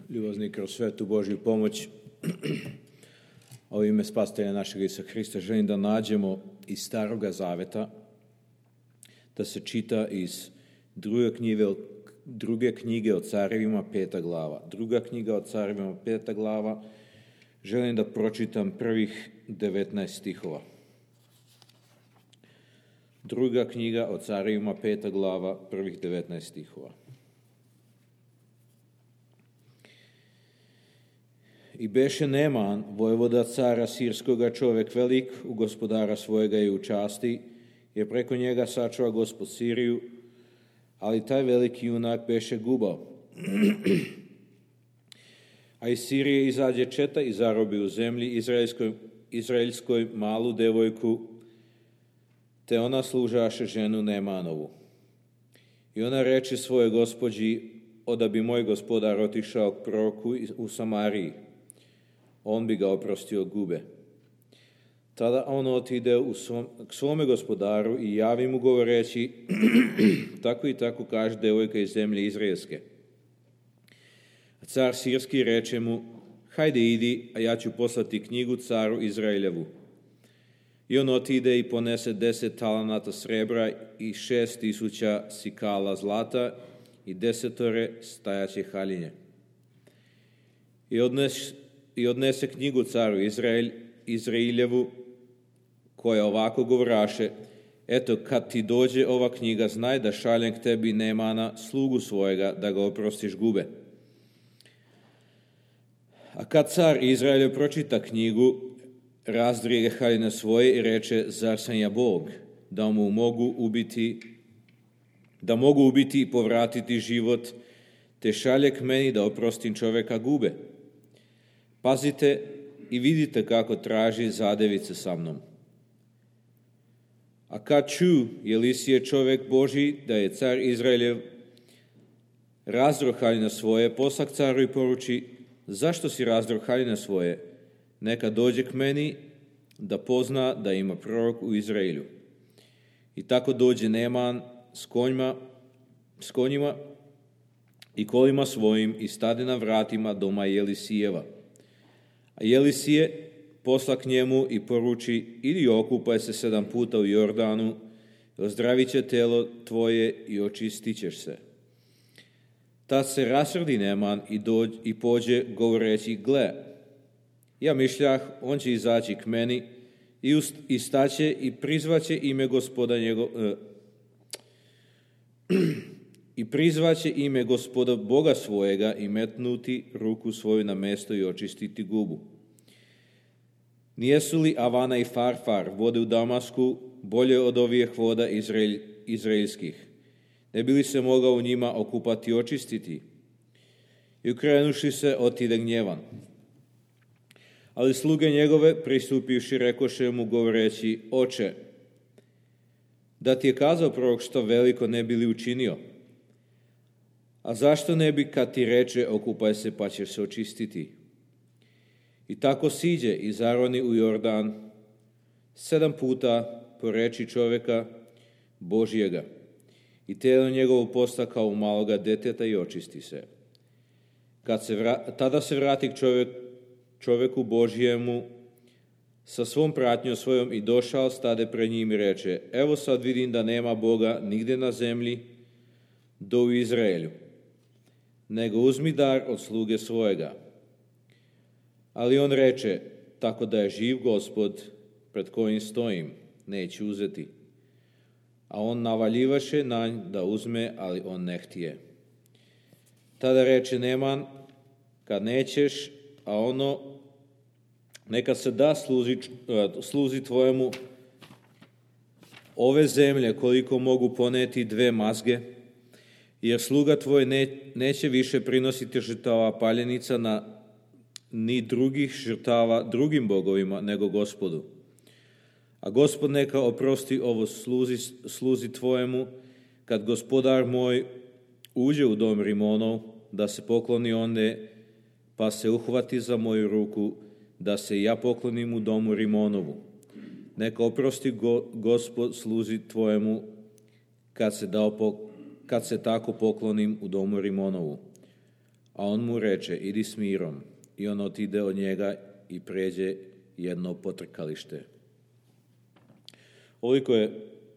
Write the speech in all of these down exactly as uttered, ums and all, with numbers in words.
ljubazni kroz svetu Božju pomoć, a u ime Spasitelja našeg Isusa Hrista želim da nađemo iz Staroga Zaveta, da se čita iz druge knjige, druge knjige o carevima, peta glava. Druga knjiga o carevima, peta glava. Želim da pročitam prvih devetnaest stihova. Druga knjiga o carevima, peta glava, prvih devetnaest stihova. I beše Neman, vojvoda cara sirskoga, čovjek velik, u gospodara svojega i u časti, jer preko njega sačuva Gospod Siriju, ali taj veliki junak beše gubao. A iz Sirije izađe četa i zarobi u zemlji izraelskoj, izraelskoj malu devojku, te ona služaše ženu Nemanovu. I ona reče svoje gospođi, oda bi moj gospodar otišao k proroku u Samariji, on bi ga oprostio gube. Tada on otide u svom, k svome gospodaru i javi mu govoreći, tako i tako kaže devojka iz zemlje izraelske. A car sirski reče mu, hajde idi, a ja ću poslati knjigu caru Izraeljevu. I on otide i ponese deset talanata srebra i šest tisuća sikala zlata i desetore stajaće haljinje. I odnese, i odnese knjigu caru Izrael, Izraeljevu, koja ovako govoraše, eto, kad ti dođe ova knjiga, znaj da šaljem k tebi Nemana, slugu svojega, da ga oprostiš gube. A kad car Izraeljev pročita knjigu, razdrige haljine svoje i reče, zar sam ja Bog, da mu mogu ubiti, da mogu ubiti i povratiti život, te šalje k meni da oprostim čovjeka gube. Pazite i vidite kako traži zadevice sa mnom. A kad ču, Jelisije čovjek Božji, da je car Izraeljev razdro haljine svoje, poslak caru i poruči, zašto si razdro haljine svoje? Neka dođe k meni da pozna da ima prorok u Izraelju. I tako dođe Neman s konjima, s konjima i kolima svojim i stade na vratima doma Jelisijeva. A Jelisije posla k njemu i poruči, idi okupaj se sedam puta u Jordanu, ozdravit će telo tvoje i očistit ćeš se. Tad se rasrdi Neman i, dođ, i pođe govoreći, gle, ja mišljah, on će izaći k meni i, ust, i staće i prizvaće ime gospoda njegov, eh, i prizvaće ime gospoda Boga svojega i metnuti ruku svoju na mesto i očistiti gubu. Nijesu li Avana i Farfar vode u Damasku bolje od ovih voda Izrael, izraelskih? Ne bi li se mogao u njima okupati i očistiti? I ukrenuši se, otide gnjevan. Ali sluge njegove, pristupivši, rekoše mu govoreći, oče, da ti je kazao prorok što veliko ne bi li učinio? A zašto ne bi kad ti reče, okupaj se pa ćeš se očistiti? I tako siđe i zaroni u Jordan sedam puta po reči čovjeka Božjega. I telo njegovo posta kao maloga deteta i očisti se. Kad se vra, tada se vrati k čovjek, čovjeku Božjemu sa svom pratnjom svojom i došao, stade pred njim i reče, evo sad vidim da nema Boga nigdje na zemlji do u Izraelju, nego uzmi dar od sluge svojega. Ali on reče, tako da je živ Gospod pred kojim stojim, neću uzeti. A on navaljivaše na nj da uzme, ali on ne htije. Tada reče Neman, kad nećeš, a ono, neka se da sluzi, sluzi tvojemu ove zemlje koliko mogu poneti dve mazge, jer sluga tvoj ne, neće više prinositi žrtava paljenica na ni drugih žrtava drugim bogovima, nego Gospodu. A Gospod neka oprosti ovo sluzi, sluzi tvojemu, kad gospodar moj uđe u dom Rimonov, da se pokloni onde, pa se uhvati za moju ruku, da se ja poklonim u domu Rimonovu. Neka oprosti go, Gospod sluzi tvojemu, kad se, dao, kad se tako poklonim u domu Rimonovu. A on mu reče, idi s mirom. I on otide od njega i pređe jedno potrkalište. Ovoliko je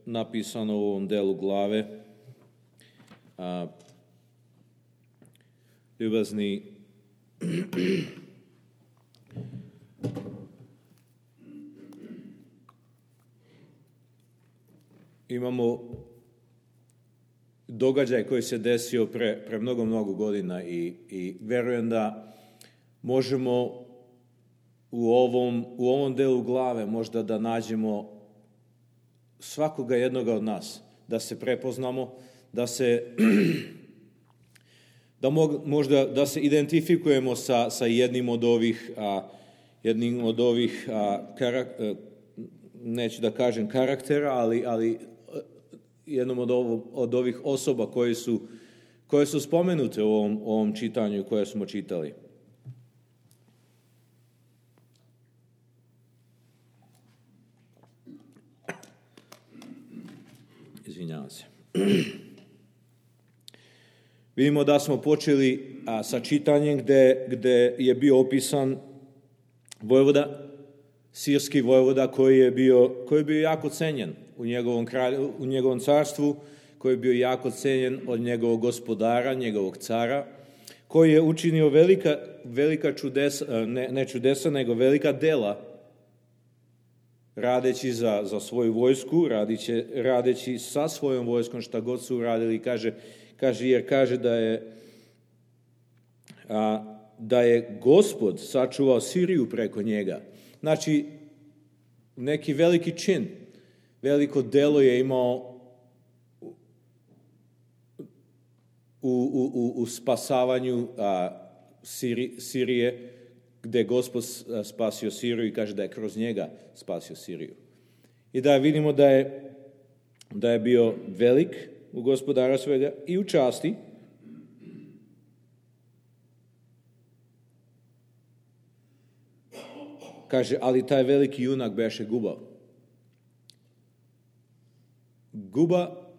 napisano u ovom delu glave. A, ljubazni, imamo događaj koji se desio pre, pre mnogo, mnogo godina i, i verujem da možemo u ovom, u ovom delu glave možda da nađemo svakoga jednoga od nas, da se prepoznamo, da se da mog, možda da se identifikujemo sa, sa jednim od ovih a, jednim od ovih a, karak, a, neću da kažem karaktera, ali, ali jednom od, ovo, od ovih osoba koje su, koje su spomenute u ovom, ovom čitanju koje smo čitali. Izvinjavam se. Vidimo da smo počeli a, sa čitanjem gde, gde je bio opisan vojvoda, sirski vojvoda koji je bio, koji je bio jako cenjen u njegovom, kralju, u njegovom carstvu, koji je bio jako cenjen od njegovog gospodara, njegovog cara, koji je učinio velika, velika čudesa, ne, ne čudesa, nego velika dela radeći za, za svoju vojsku, radiće, radeći sa svojom vojskom šta god su uradili, kaže, kaže, jer kaže da je, a, da je Gospod sačuvao Siriju preko njega. Znači, neki veliki čin, veliko delo je imao u, u, u, u spasavanju a, Siri, Sirije, gde Gospod spasio Siriju i kaže da je kroz njega spasio Siriju. I da vidimo da je, da je bio velik u gospodara svega i u časti. Kaže, ali taj veliki junak beše Guba. Guba,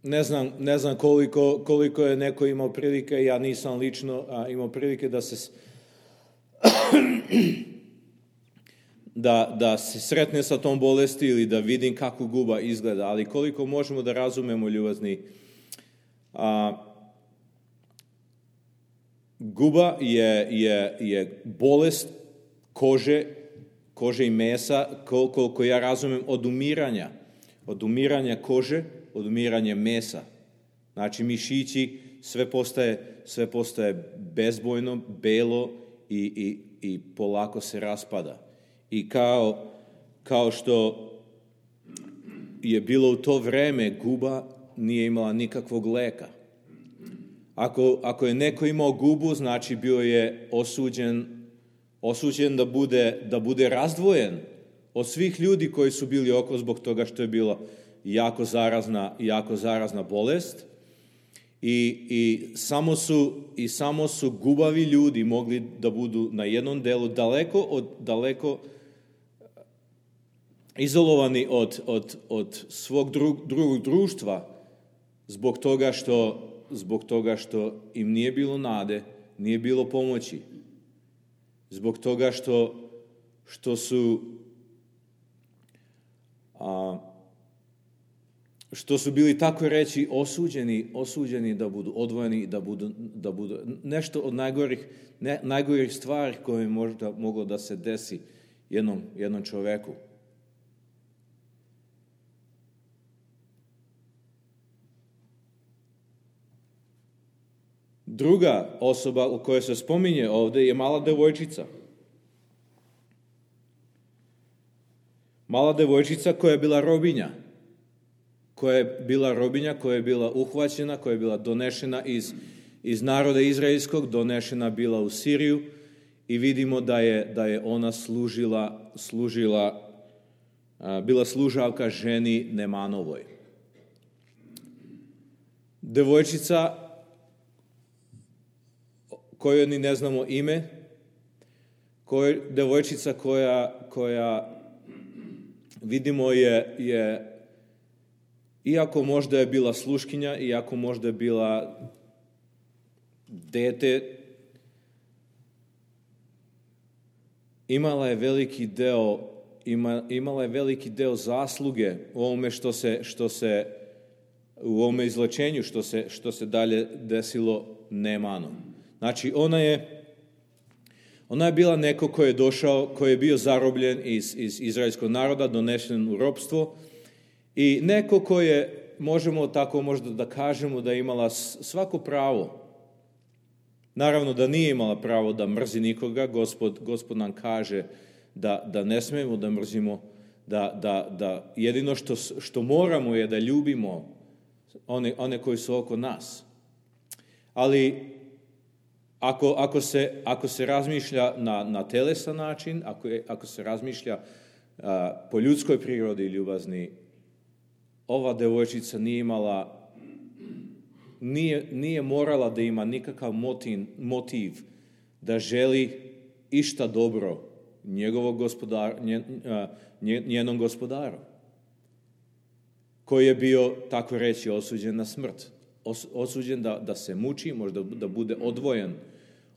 ne znam, ne znam koliko, koliko je neko imao prilike, ja nisam lično a, imao prilike da se da, da se sretne sa tom bolesti ili da vidim kako Guba izgleda, ali koliko možemo da razumemo, ljubazni, a, Guba je, je, je bolest kože, kože i mesa, koliko ja razumem, od umiranja, od umiranja kože, od umiranja mesa. Znači, mišići, sve postaje, sve postaje bezbojno, belo i, i, i polako se raspada. I kao, kao što je bilo u to vreme, Guba nije imala nikakvog leka. Ako, ako je neko imao gubu, znači bio je osuđen, osuđen da bude, da bude razdvojen od svih ljudi koji su bili oko zbog toga što je bila jako zarazna, jako zarazna bolest. I, i, samo su, I samo su gubavi ljudi mogli da budu na jednom delu daleko, od, daleko izolovani od, od, od svog drug, drugog društva zbog toga što zbog toga što im nije bilo nade, nije bilo pomoći. Zbog toga što, što su a, što su bili, tako reći, osuđeni, osuđeni da budu odvojeni, da budu, da budu nešto od najgorih, ne, najgorih stvari koje je možda moglo da se desi jednom, jednom čoveku. Druga osoba u kojoj se spominje ovde je mala devojčica. Mala devojčica koja je bila robinja. Koja je bila robinja, koja je bila uhvaćena, koja je bila donešena iz, iz naroda izraelskog, donešena bila u Siriju i vidimo da je, da je ona služila, služila, bila služavka ženi Nemanovoj. Devojčica kojoj ni ne znamo ime, koj, devojčica koja, koja vidimo je, je, iako možda je bila sluškinja, iako možda je bila dete, imala je veliki deo, ima, imala je veliki deo zasluge u ovome što se, što se u ovome izlečenju što se, što se dalje desilo Neemanom. Znači, ona je Ona je bila neko ko je došao, ko je bio zarobljen iz, iz izraelskog naroda, donesen u ropstvo i neko ko je, možemo tako možda da kažemo, da je imala svako pravo. Naravno da nije imala pravo da mrzi nikoga, Gospod, Gospod nam kaže da, da ne smijemo da mrzimo, da, da, da jedino što, što moramo je da ljubimo one, one koji su oko nas. Ali Ako, ako, se, ako se razmišlja na, na telesan način, ako, je, ako se razmišlja a, po ljudskoj prirodi ljubazni, ova devojčica nije imala, nije, nije morala da ima nikakav motiv, motiv da želi išta dobro njegovog gospodara, njen, a, njenom gospodaru, koji je bio, tako reći, osuđen na smrt. Osuđen da, da se muči, možda da bude odvojen,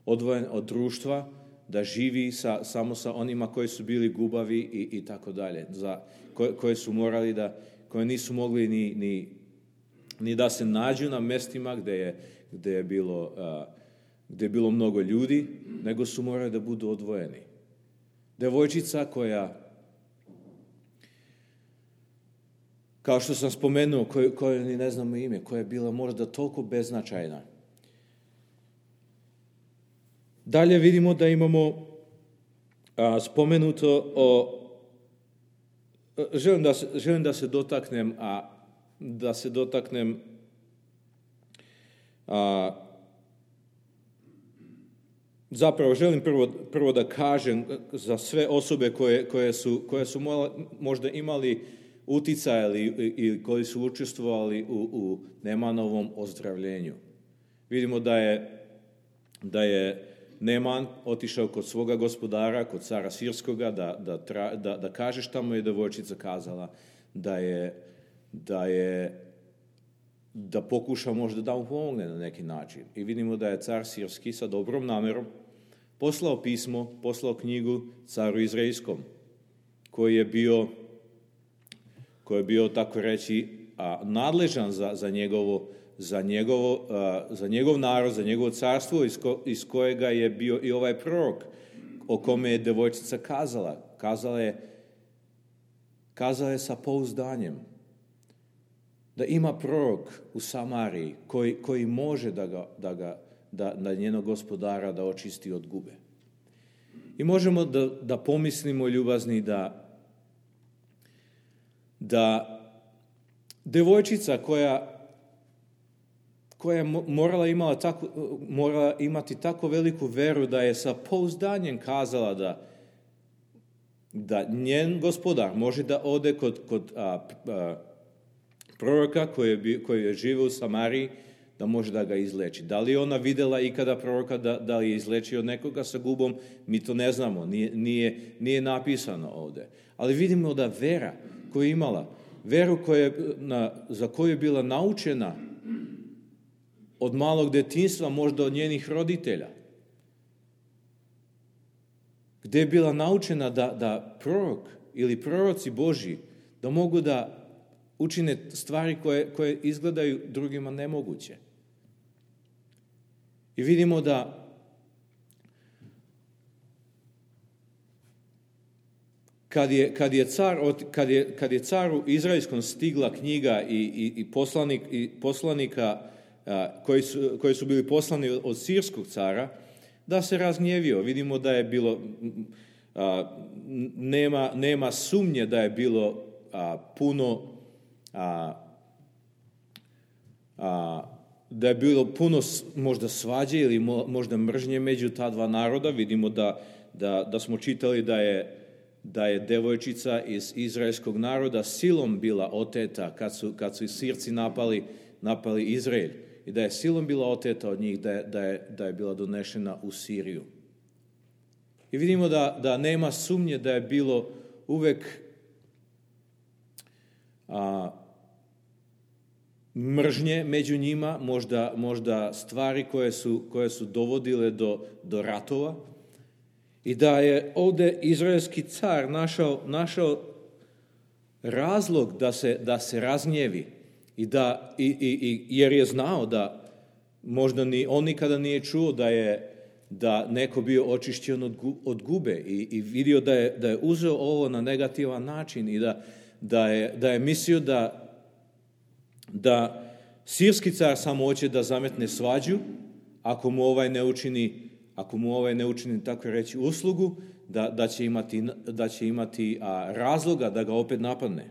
odvojen od društva, da živi sa, samo sa onima koji su bili gubavi i, i tako dalje, za koje, koje su morali da, koje nisu mogli ni, ni, ni da se nađu na mestima gde je, gde je bilo, uh, gde je bilo mnogo ljudi, nego su morali da budu odvojeni. Devojčica koja, kao što sam spomenuo, koje, koje ni ne znamo ime, koja je bila možda toliko beznačajna. Dalje vidimo da imamo a, spomenuto o... Želim da se, želim da se dotaknem, a da se dotaknem a, zapravo želim prvo, prvo da kažem za sve osobe koje, koje su, koje su možda imali uticaj ili, ili koji su učestvovali u, u Neemanovom ozdravljenju. Vidimo da je, da je Neeman otišao kod svoga gospodara, kod cara Sirskoga, da, da, tra, da, da kaže šta mu je devojčica kazala, da je, da je da pokuša možda da mu pomogne na neki način. I vidimo da je car Sirski sa dobrom namerom poslao pismo, poslao knjigu caru Izraelskom, koji je bio koji je bio, tako reći, a, nadležan za, za, njegovo, za, njegovo, a, za njegov narod, za njegovo carstvo, iz, ko, iz kojega je bio i ovaj prorok, o kome je devojčica kazala. Kazala je, kazala je sa pouzdanjem da ima prorok u Samariji koji, koji može da, ga, da, ga, da, da njenog gospodara da očisti od gube. I možemo da, da pomislimo, ljubazni, da da devojčica koja, koja je morala, imala tako, morala imati tako veliku veru da je sa pouzdanjem kazala da, da njen gospodar može da ode kod, kod a, a, proroka koji je, koji je živio u Samariji, da može da ga izleči. Da li je ona videla ikada proroka da, da li je izlečio nekoga sa gubom, mi to ne znamo, nije, nije, nije napisano ovde. Ali vidimo da vera koju je imala, veru koja, na, za koju je bila naučena od malog detinjstva, možda od njenih roditelja, gde je bila naučena da, da prorok ili proroci Božji da mogu da učine stvari koje, koje izgledaju drugima nemoguće. I vidimo da Kad je, kad je, car, kad je, kad je caru izraelskom stigla knjiga i, i, i, poslanik, i poslanika a, koji, su, koji su bili poslani od sirskog cara, da se razgnjevio. Vidimo da je bilo, a, nema, nema sumnje da je bilo a, puno, a, a, da je bilo puno možda svađe ili možda mržnje među ta dva naroda. Vidimo da, da, da smo čitali da je da je devojčica iz izraelskog naroda silom bila oteta kad su, kad su Sirci napali, napali Izrael i da je silom bila oteta od njih, da je, da je, da je bila donešena u Siriju. I vidimo da, da nema sumnje da je bilo uvek a, mržnje među njima, možda, možda stvari koje su, koje su dovodile do, do ratova, i da je ovdje izraelski car našao, našao razlog da se, da se razgnjevi, i da, i, i, i, jer je znao da možda ni, on nikada nije čuo da je da neko bio očišćen od, od gube, i, i vidio da je, da je uzeo ovo na negativan način, i da, da, je, da je mislio da da sirski car samo hoće da zametne svađu, ako mu ovaj ne učini, ako mu ovaj ne učini, tako reći, uslugu, da, da će imati, da će imati a, razloga da ga opet napadne.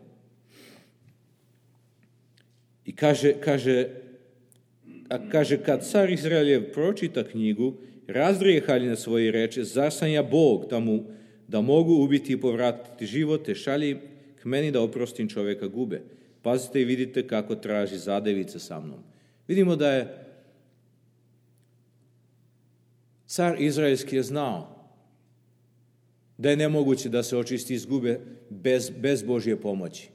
I kaže, kaže, a kaže, kad car Izraeljev pročita knjigu, razdrije haljine svoje i reče, zar sam ja Bog da, mu, da mogu ubiti i povratiti živote, šalji k meni da oprostim čovjeka gube. Pazite i vidite kako traži zadevice sa mnom. Vidimo da je car izraelski je znao da je nemoguće da se očisti iz gube bez, bez Božje pomoći.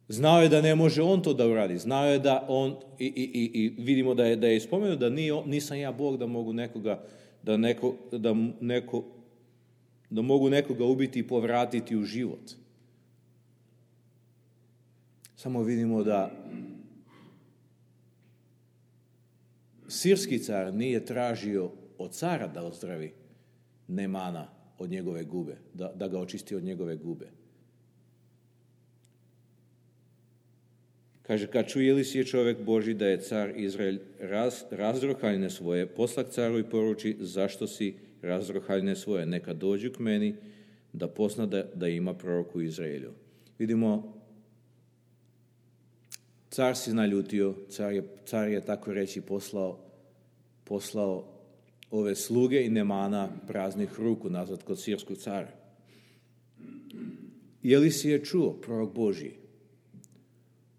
Znao je da ne može on to da uradi. Znao je da on, i, i, i vidimo da je, da je spomenuo da nije, nisam ja Bog da mogu nekoga, da, neko, da, neko, da mogu nekoga ubiti i povratiti u život. Samo vidimo da sirski car nije tražio od cara da ozdravi Nemana od njegove gube, da, da ga očisti od njegove gube. Kaže, kad čuje li si je čovjek Božji da je car Izrael raz, razdro haljine svoje, poslak caru i poruči, zašto si razdro haljine svoje, neka dođu k meni da pozna da, da ima prorok u Izraelju. Vidimo, car si naljutio, car je, car je tako reći poslao, poslao ove sluge i Nemana praznih ruku nazad kod sirskog cara. Je li si je čuo, prorok Božji?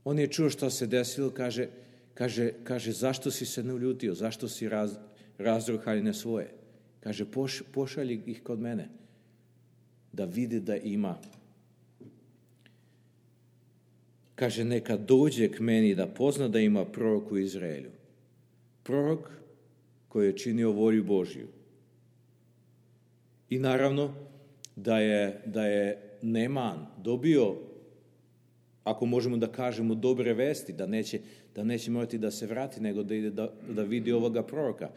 On je čuo što se desilo, kaže, kaže, kaže zašto si se naljutio, zašto si raz, razdro haljine svoje? Kaže, poš, pošalji ih kod mene, da vidi da ima. Kaže, neka dođe k meni da pozna da ima prorok u Izraelju. Prorok koji je činio volju Božju. I naravno da je, da je Neman dobio, ako možemo da kažemo, dobre vesti, da neće, da neće morati da se vrati, nego da ide da, da vidi ovoga proroka.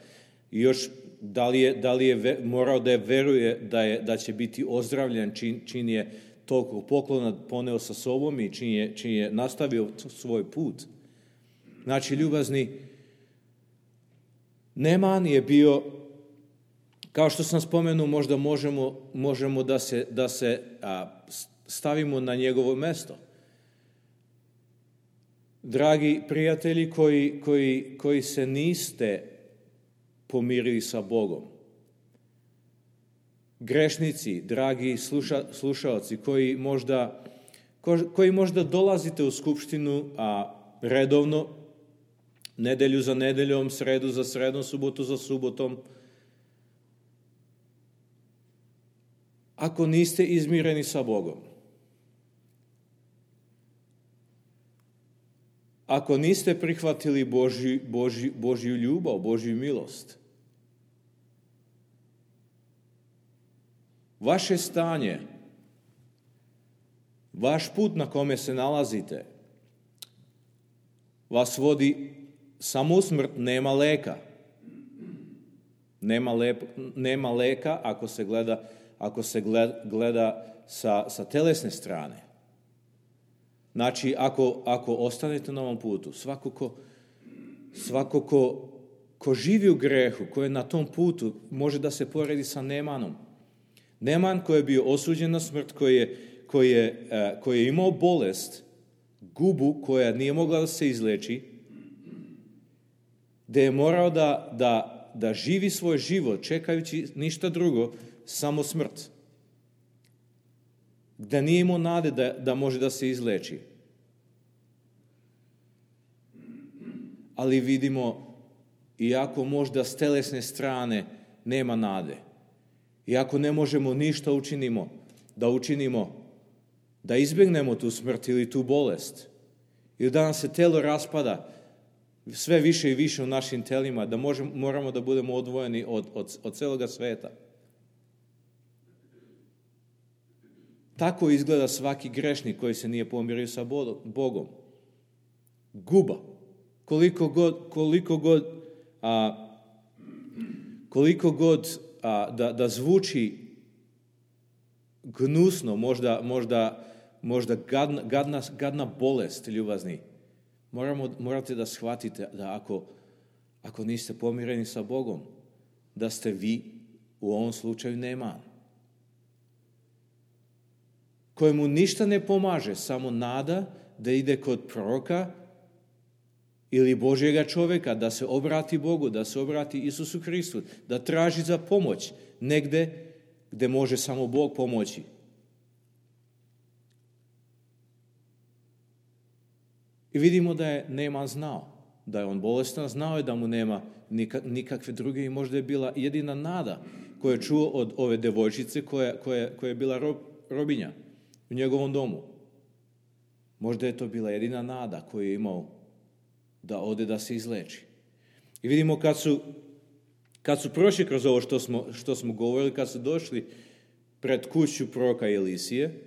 I još, da li je, da li je morao da je veruje da, je, da će biti ozdravljen čin, čin je toliko poklona poneo sa sobom i čin je, čin je nastavio svoj put. Znači, ljubazni, Neman je bio, kao što sam spomenuo, možda možemo, možemo da se, da se a, stavimo na njegovo mesto. Dragi prijatelji koji, koji, koji se niste pomirili sa Bogom, grešnici, dragi sluša, slušaoci koji možda, ko, koji možda dolazite u skupštinu a redovno, nedelju za nedeljom, sredu za sredom, subotu za subotom, ako niste izmireni sa Bogom, ako niste prihvatili Božju, Božju, Božju ljubav, Božju milost, vaše stanje, vaš put na kome se nalazite, vas vodi samo u smrt, nema leka. Nema, lep, nema leka ako se gleda, ako se gleda, gleda sa, sa telesne strane. Znači, ako, ako ostanete na ovom putu, svako ko, svako ko, ko živi u grehu, ko je na tom putu, može da se poredi sa Nemanom. Neman koji je bio osuđen na smrt, koji je, koji je, koji je imao bolest, gubu koja nije mogla da se izleči, da je morao da, da, da živi svoj život čekajući ništa drugo, samo smrt. Da nije imao nade da, da može da se izleči. Ali vidimo, iako možda s telesne strane nema nade, iako ne možemo ništa učinimo, da učinimo, da izbjegnemo tu smrt ili tu bolest, I da nam se telo raspada sve više i više u našim telima, da možemo, moramo da budemo odvojeni od, od, od celoga sveta. Tako izgleda svaki grešnik koji se nije pomirio sa Bogom. Guba. Koliko god, koliko god, a, koliko god a, da, da zvuči gnusno, možda, možda, možda gadna, gadna, gadna bolest, ljubazni, moramo, morate da shvatite da ako, ako niste pomireni sa Bogom, da ste vi u ovom slučaju neman, kojemu ništa ne pomaže, samo nada da ide kod proroka ili Božjega čovjeka, da se obrati Bogu, da se obrati Isusu Hristu, da traži za pomoć negde gde može samo Bog pomoći. I vidimo da je Neman znao, da je on bolestan, znao je da mu nema nikakve druge i možda je bila jedina nada koju je čuo od ove devojčice koja, koja, koja je bila rob, robinja u njegovom domu. Možda je to bila jedina nada koju je imao da ode da se izleči. I vidimo kad su, kad su prošli kroz ovo što smo, što smo govorili, kad su došli pred kuću proroka Elisije,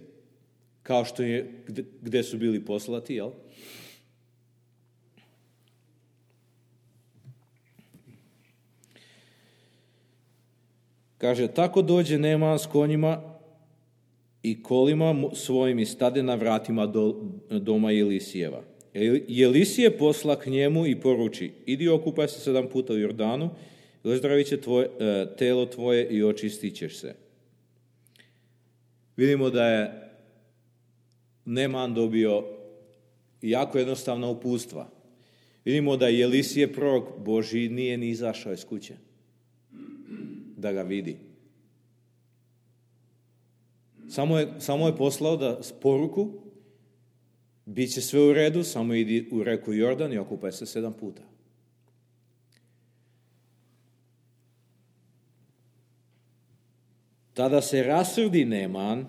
kao što je, gde, gde su bili poslati, jel? Kaže, tako dođe Neman s konjima i kolima svojim i stade na vratima do, doma Elisijeva. I Elisije posla k njemu i poruči, idi okupaj se sedam puta u Jordanu, i ozdravit će tvoje, telo tvoje i očistit ćeš se. Vidimo da je Neman dobio jako jednostavna uputstva. Vidimo da je Elisije prorok Božji nije ni izašao iz kuće da ga vidi. Samo je, samo je poslao da poruku, bit će sve u redu, samo idi u reku Jordan i okupaj se sedam puta. Tada se rasrdi Neman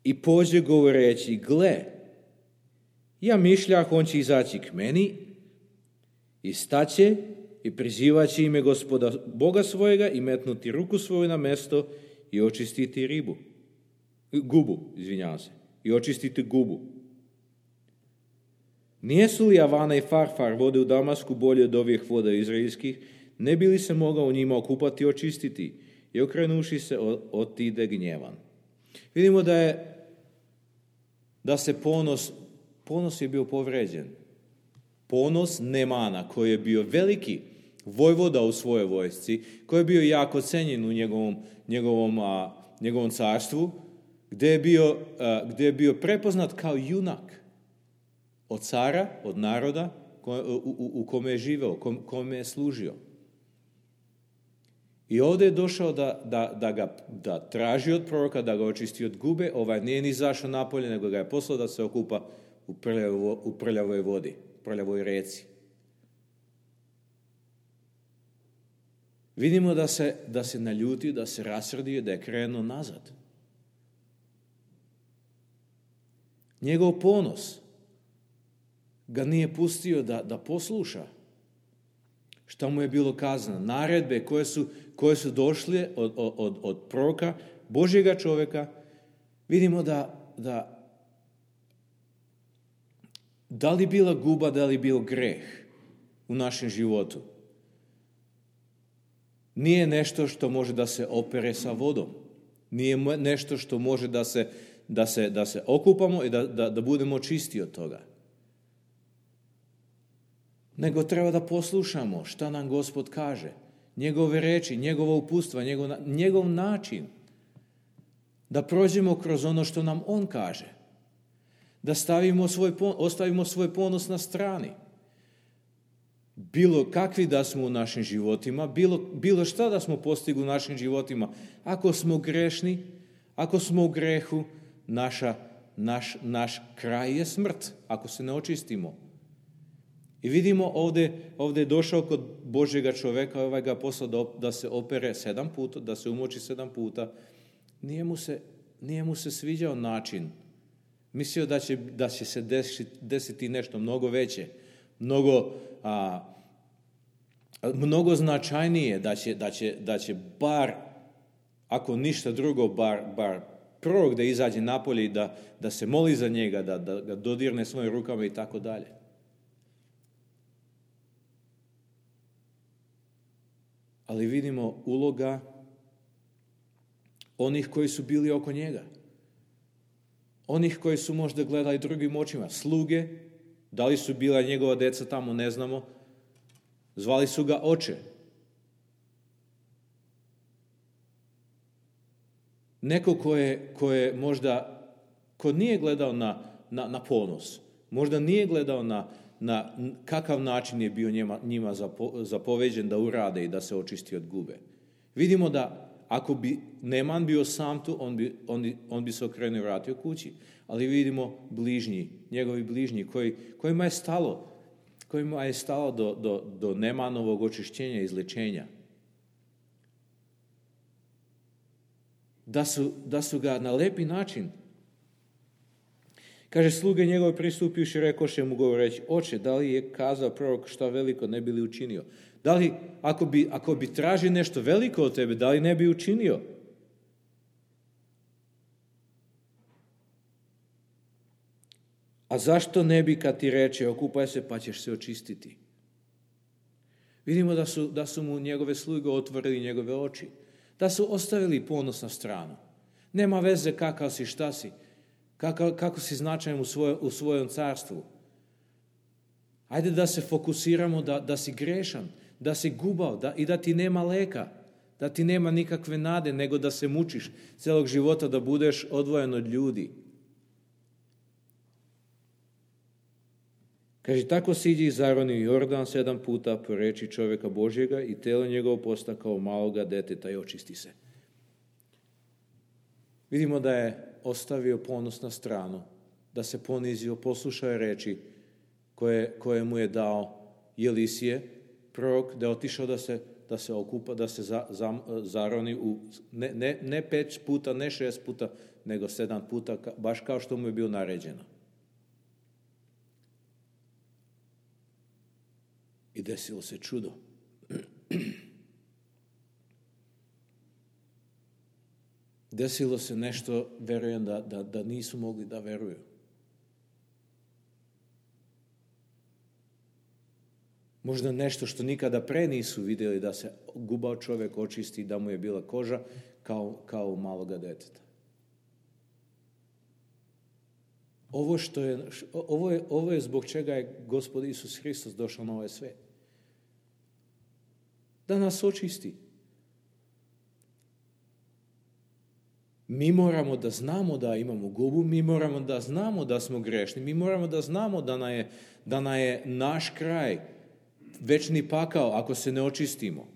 i pođe govoreći, gle, ja mišljah, on će izaći k meni i staće i prizivaće ime Gospoda Boga svojega i metnuti ruku svoju na mesto i očistiti ribu. Gubu, izvinjavam se, i očistiti gubu. Nijesu li Avana i Farfar vode u Damasku bolje od ovih voda izraelskih, ne bi li se mogao u njima okupati i očistiti? I okrenuši se, otide gnjevan. Vidimo da je, da se ponos, ponos je bio povređen. Ponos Nemana, koji je bio veliki vojvoda u svojoj vojsci, koji je bio jako cenjen u njegovom, njegovom, a, njegovom carstvu, gde je, bio, a, gde je bio prepoznat kao junak od cara, od naroda ko, u, u, u kome je živeo, kom, kome je služio. I ovdje je došao da, da, da ga da traži od proroka, da ga očisti od gube. Ovaj nije ni izašao napolje, nego ga je poslao da se okupa u, prljavo, u prljavoj vodi, prljavoj reci. Vidimo da se, da se naljuti, da se rasrdio, da je krenuo nazad. Njegov ponos ga nije pustio da, da posluša šta mu je bilo kazano. Naredbe koje su, koje su došle od, od, od proroka, Božjega čovjeka, vidimo da, da da li bila guba, da li bio greh u našem životu. Nije nešto što može da se opere sa vodom. Nije nešto što može da se, da se, da se okupamo i da, da, da budemo čisti od toga. Nego treba da poslušamo šta nam Gospod kaže. Njegove reči, njegova uputstva, njegov, njegov način. Da prođemo kroz ono što nam On kaže. Da stavimo svoj, ostavimo svoj ponos na strani. Bilo kakvi da smo u našim životima, bilo, bilo šta da smo postigli u našim životima. Ako smo grešni, ako smo u grehu, naša, naš, naš kraj je smrt, ako se ne očistimo. I vidimo ovdje, ovdje je došao kod Božjega čovjeka, ovaj ga poslao da, da se opere sedam puta, da se umoči sedam puta. Nije mu se, nije mu se sviđao način Mislio da će, da će se desiti, desiti nešto mnogo veće, mnogo, a, mnogo značajnije, da će, da će, da će bar, ako ništa drugo, bar, bar prorok da izađe napolje i da, da se moli za njega, da, da ga dodirne svojim rukama i tako dalje. Ali vidimo uloga onih koji su bili oko njega. Onih koji su možda gledali drugim očima. Sluge, da li su bila njegova deca tamo, ne znamo. Zvali su ga oče. Neko ko je, ko je možda, ko nije gledao na, na, na ponos, možda nije gledao na, na kakav način je bio njima, njima zapo, zapoveđen da urade i da se očisti od gube. Vidimo da ako bi Neman bio sam tu, on bi, on, on bi se okrenuo i vratio kući. Ali vidimo bližnji, njegovi bližnji, koji, kojima je stalo, kojima je stalo do, do, do Nemanovog očišćenja i izlečenja. Da su, da su ga na lepi način, kaže, sluge njegove pristupivši rekoše mu govoreći, oče, da li je kazao prorok šta veliko ne bi li učinio? Da li, ako bi, ako bi tražio nešto veliko od tebe, da li ne bi učinio? A zašto ne bi kad ti reče, okupaj se pa ćeš se očistiti? Vidimo da su, da su mu njegove sluge otvorili njegove oči. Da su ostavili ponos na stranu. Nema veze kakav si, šta si, kako, kako si značajan u, svoj, u svojom carstvu. Ajde da se fokusiramo da, da si grešan, da si gubav da, i da ti nema leka, da ti nema nikakve nade, nego da se mučiš celog života, da budeš odvojen od ljudi. Kaže, tako siđi i zaroni Jordan sedam puta po reči čovjeka Božjega i telo njegovo posta kao maloga deteta i očisti se. Vidimo da je ostavio ponos na stranu, da se ponizio, poslušao reči koje, koje mu je dao Jelisije, prorok, da je otišao da se, da se okupa, da se za, za, zaroni u, ne, ne, ne pet puta, ne šest puta, nego sedam puta, baš kao što mu je bilo naređeno. I desilo se čudo. Desilo se nešto, verujem, da, da, da nisu mogli da veruju. Možda nešto što nikada pre nisu vidjeli, da se gubav čovjek očisti, da mu je bila koža kao, kao u maloga deteta. Ovo, što je, ovo, je, ovo je zbog čega je Gospod Isus Hristos došao na ovaj svijet. Da nas očisti. Mi moramo da znamo da imamo gubu, mi moramo da znamo da smo grešni, mi moramo da znamo da nam je, da nam je naš kraj večni pakao ako se ne očistimo.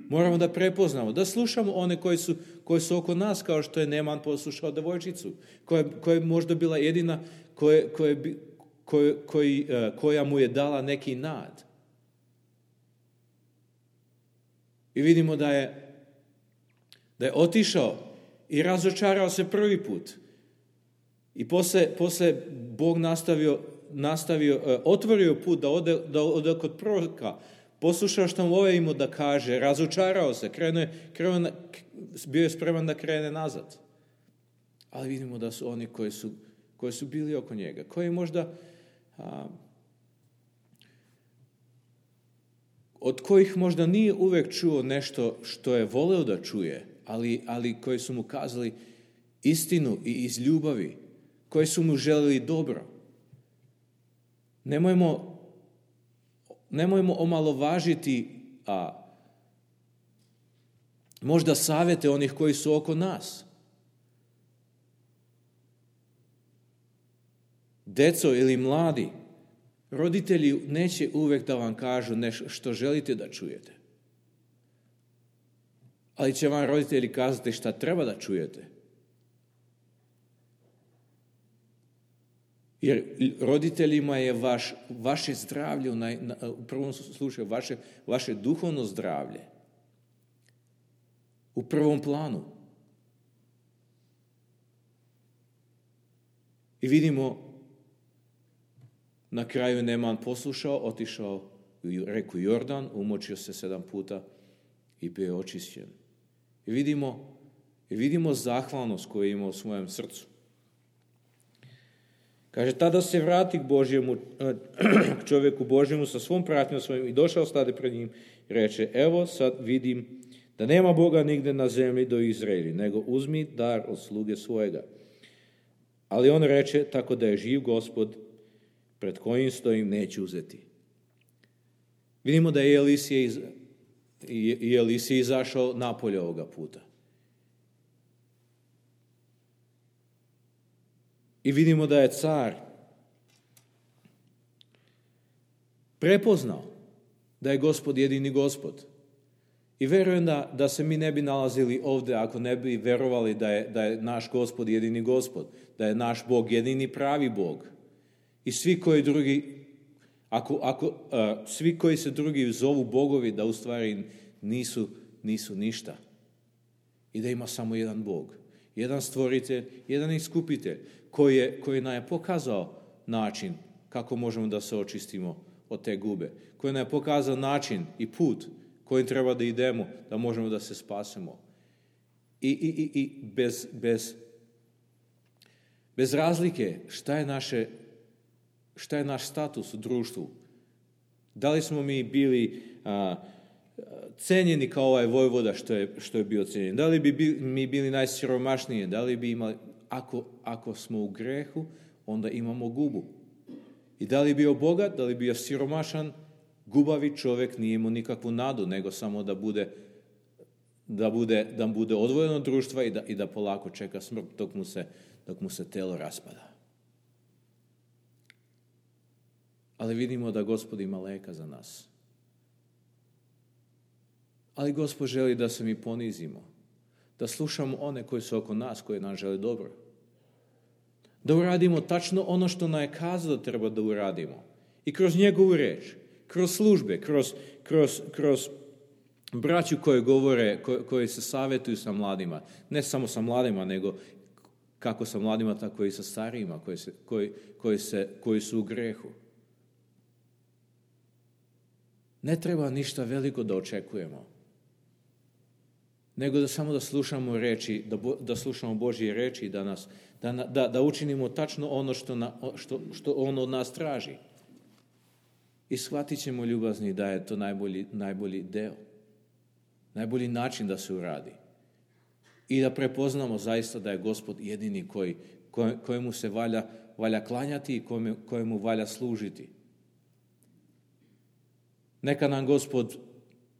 Moramo da prepoznamo, da slušamo one koji su, koji su oko nas, kao što je Neman poslušao devojčicu, koja, koja je možda bila jedina koje, koje, koje, koji, koja mu je dala neki nad. I vidimo da je, da je otišao i razočarao se prvi put. I posle, posle Bog nastavio, nastavio, otvorio put da ode, da ode kod proroka, poslušao što mu ovaj imao da kaže, razočarao se, krenuo, krenuo, bio je spreman da krene nazad. Ali vidimo da su oni koji su, koji su bili oko njega, koji možda, a, od kojih možda nije uvek čuo nešto što je voleo da čuje, ali, ali koji su mu kazali istinu i iz ljubavi, koji su mu želeli dobro. Nemojmo Nemojmo omalovažiti a, možda savjete onih koji su oko nas. Deco ili mladi, roditelji neće uvek da vam kažu nešto što želite da čujete. Ali će vam roditelji kazati šta treba da čujete. Jer roditeljima je vaš, vaše zdravlje, u, naj, u prvom slučaju, vaše, vaše duhovno zdravlje u prvom planu. I vidimo, na kraju Neman poslušao, otišao u reku Jordan, umočio se sedam puta i bio je očišćen. I vidimo, i vidimo zahvalnost koju ima u svojem srcu. Kaže, tada se vrati k Božjemu, k čovjeku Božjemu sa svom pratnjom svojim i došao stade pred njim i reče, evo sad vidim da nema Boga nigde na zemlji do Izraeli, nego uzmi dar od sluge svojega. Ali on reče, tako da je živ Gospod, pred kojim stojim, neću uzeti. Vidimo da je Elisije, iz, i Elisije izašao napolje ovoga puta. I vidimo da je car prepoznao da je Gospod jedini Gospod. I verujem da, da se mi ne bi nalazili ovdje ako ne bi verovali da je, da je naš Gospod jedini Gospod, da je naš Bog jedini pravi Bog. I svi koji drugi, ako, ako, uh, svi koji se drugi zovu bogovi, da u stvari nisu, nisu ništa. I da ima samo jedan Bog, jedan stvoritelj, jedan iskupitelj, koji je, koji nam je pokazao način kako možemo da se očistimo od te gube, koji nam je pokazao način i put kojim treba da idemo, da možemo da se spasemo. I, i, i, i bez, bez, bez razlike šta je, naše, šta je naš status u društvu. Da li smo mi bili a, cenjeni kao ovaj vojvoda što je, što je bio cenjen? Da li bi bili, mi bili najsiromašniji? Da li bi imali... Ako, ako smo u grehu, onda imamo gubu. I da li bio bogat, da li bio siromašan, gubavi čovjek nije imao nikakvu nadu, nego samo da bude, da bude, da bude odvojen od društva i da, i da polako čeka smrt dok mu se, dok mu se telo raspada. Ali vidimo da Gospod ima leka za nas. Ali Gospod želi da se mi ponizimo, da slušamo one koji su oko nas, koji nam žele dobro. Da uradimo tačno ono što nam je kazao da treba da uradimo. I kroz njegovu reč, kroz službe, kroz, kroz, kroz braću koji govore, koji, koji se savjetuju sa mladima. Ne samo sa mladima, nego kako sa mladima, tako i sa starijima koji, se, koji, koji, se, koji su u grehu. Ne treba ništa veliko da očekujemo, nego da samo da slušamo reči, da, bo, da slušamo Božje reči i da, nas, da, da, da učinimo tačno ono što, na, što, što on od nas traži. I shvatit ćemo, ljubazni, da je to najbolji, najbolji deo, najbolji način da se uradi. I da prepoznamo zaista da je Gospod jedini koji, koj, kojemu se valja, valja klanjati i kojemu, kojemu valja služiti. Neka nam Gospod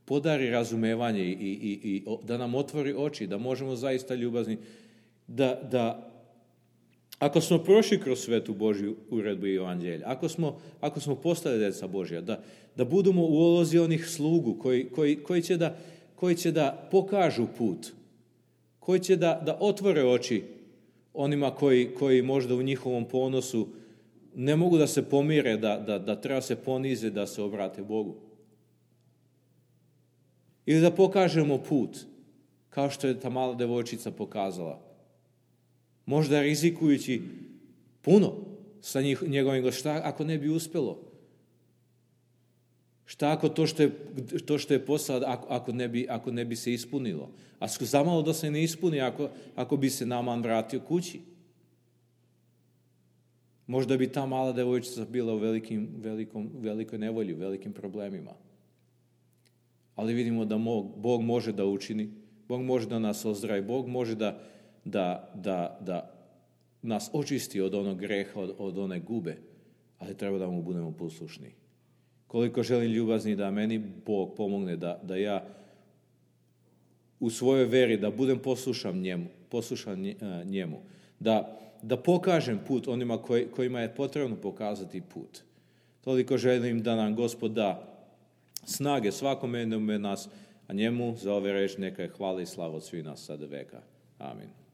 podari razumevanje i, i, i, i da nam otvori oči, da možemo zaista, ljubazni, da, da ako smo prošli kroz svetu Božju uredbu i evanđelja, ako smo, ako smo postali djeca Božja, da, da budemo u ulozi onih slugu koji, koji, koji, će da, koji će da pokažu put, koji će da, da otvore oči onima koji, koji možda u njihovom ponosu ne mogu da se pomire, da, da, da treba se ponize, da se obrate Bogu. Ili da pokažemo put, kao što je ta mala devojčica pokazala. Možda rizikujući puno sa njih, njegovim glasom. Šta ako ne bi uspjelo? Šta ako to što je, to što je posao, ako, ako, ne bi, ako ne bi se ispunilo? A zamalo da se ne ispuni ako, ako bi se Naman vratio kući. Možda bi ta mala devojčica bila u velikim, velikom, velikoj nevolji, velikim problemima. Ali vidimo da Bog može da učini, Bog može da nas ozdravi, Bog može da, da, da, da nas očisti od onog greha, od, od one gube, ali treba da mu budemo poslušni. Koliko želim, ljubazni, da meni Bog pomogne da, da ja u svojoj veri da budem poslušan njemu, poslušan njemu, da, da pokažem put onima koji, kojima je potrebno pokazati put. Toliko želim da nam Gospod da snage svakome jednom nas, a njemu za ove reči neka je hvala i slava od svih nas sada veka. Amin.